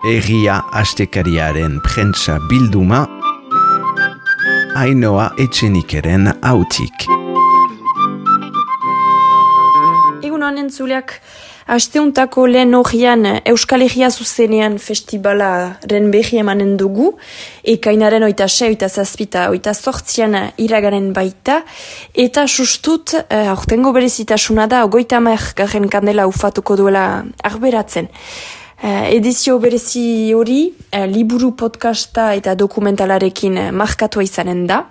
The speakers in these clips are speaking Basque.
Egia astekariaren prentsa bilduma, Ainhoa Etxenikeren hautik. Egun honen zuleak, asteuntako lehen horian Euskal Herria zuzenean festivalaren behi emanen dugu, ekainaren 26, 27, 28 iragaren baita, eta sustut, aurtengo berezitasuna da, 30 kandela ufatuko duela arberatzen. Edizio berezi hori, liburu podcasta eta dokumentalarekin markatua izanen da.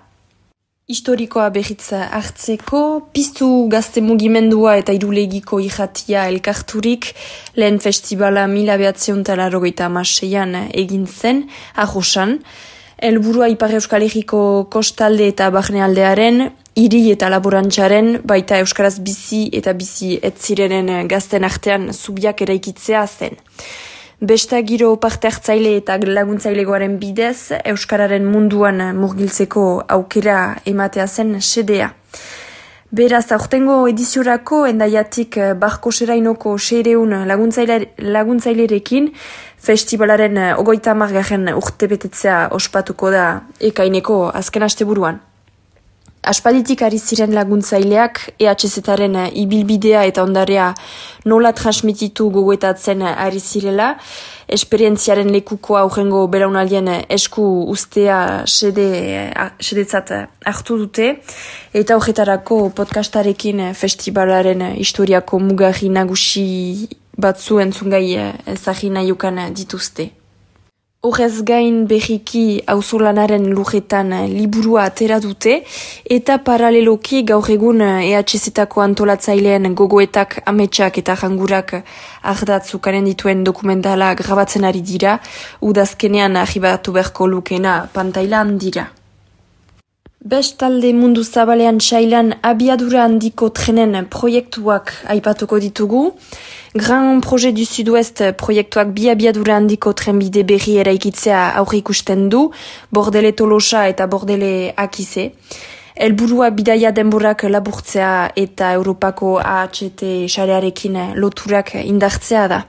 Historikoa berriz hartzeko, piztu gazte mugimendua eta irulegiko irratia elkarturik, lehen festivala 1986an egin zen, Arrosan. Helburua Ipar Euskal Herriko kostalde eta barnealdearen, hiri eta laborantzaren, baita euskaraz bizi eta bizi etzirenen gazten artean zubiak eraikitzea zen. Besta giro parte hartzaile eta laguntzailegoaren bidez, euskararen munduan murgiltzeko aukera ematea zen sedea. Beraz, aurtengo ediziorako endaiatik Barkoserainoko 600 laguntzailerekin festivalaren 30. urtebetetzea ospatuko da ekaineko azken asteburuan. Aspalditik ari ziren laguntzaileak EHZ-aren ibilbidea eta ondarea nola transmititu gogoetatzen ari zirela, esperientziaren lekukoa aurrengo belaunaldien esku ustea sedetzat hartu dute, eta horretarako podcastarekin festivalaren historiako mugarri nagusi batzu entzungai ezagin nahiukan dituzte. Horrez gain berriki auzolanaren lujetan liburua atera dute eta paraleloki gaur egun EHZ-etako antolatzaileen gogoetak, ametsak eta jangurak ardatzukaren dituen dokumentala grabatzen ari dira, udazkenean arribatu beharko lukena pantailan dira. Bestalde mundu zabalean sailan abiadura handiko trenen proiektuak aipatuko ditugu. Grand Projet du Sud-Ouest proiektuak bi abiadura handiko trenbide berri eraikitzea aurre ikusten du, Bordele Tolosa eta Bordele Akize. Helburua bidaia denborak laburtzea eta Europako AHT sarearekin loturak indartzea da.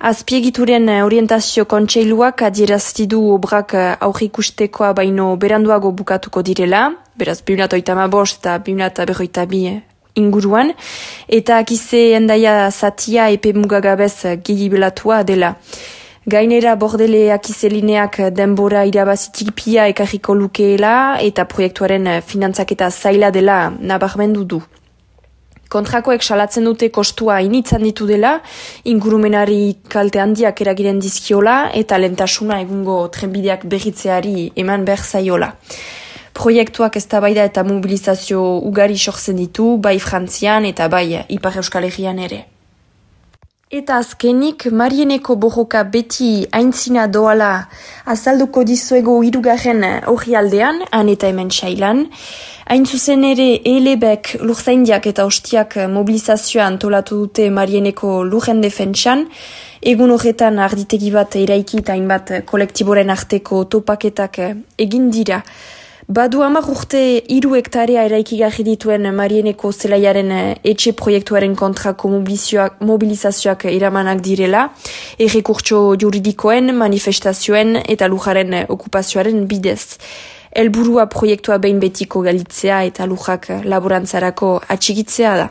Azpiegituren orientazio kontseiluak adieraztidu obrak aurre ikustekoa baino beranduago bukatuko direla, beraz 2035 eta 2042 inguruan, eta Akize endaia zatia epe mugagabez gehibelatua dela. Gainera Bordele Akize lineak denbora irabazitik pia ekarriko lukeela eta proiektuaren finantzaketa zaila dela nabarmendu du. Kontrakoek salatzen dute kostua initzan ditu dela, ingurumenari kalte handiak eragiren dizkiola eta lentasuna egungo trenbideak berritzeari eman behar zaiola. Proiektuak eztabaida eta mobilizazio ugari sortzen ditu, bai Frantzian eta bai Ipar Euskal Herrian ere. Eta azkenik, Marieneko borroka beti aintzina doala azalduko dizuego 3. orrialdean, han eta hemen sailan. Hain zuzen ere Elebek lurzaindiak eta ostiak mobilizazioa antolatu dute Marieneko lurren defentsan, egun horretan arditegi bat eraiki eta hainbat kolektiboren arteko topaketak egin dira. Badu 10 urte 3 hektarea eraikigarri dituen Marieneko zelaiaren etxe proiektuaren kontrako mobilizazioak iramanak direla, errekurtso juridikoen, manifestazioen eta lujaren okupazioaren bidez. Helburua proiektua behin betiko galitzea eta lujak laborantzarako atxigitzea da.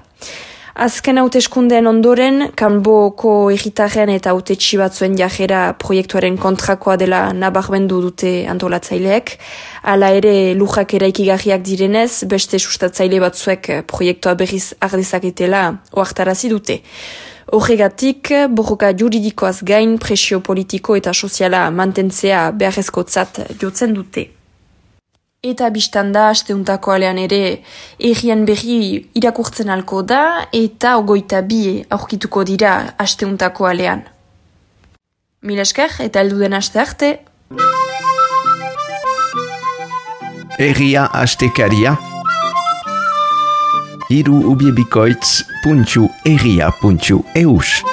Azken hauteskundeen ondoren, kanboko herritarren eta hautetsi batzuen jarrera proiektuaren kontrakoa dela nabarmendu dute antolatzaileek. Hala ere lujak eraikigarriak direnez, beste sustatzaile batzuek proiektua berriz ardezaketela ohartarazi dute. Horregatik, borroka juridikoaz gain presio politiko eta soziala mantentzea beharrezkotzat jotzen dute. Eta biztanda, asteuntako alean ere, errien berri irakurtzen alko da, eta 22 aurkituko dira asteuntako alean. Mil esker, eta heldu den aste arte. Egia astekaria, hiruubiebikoitz.egia.eus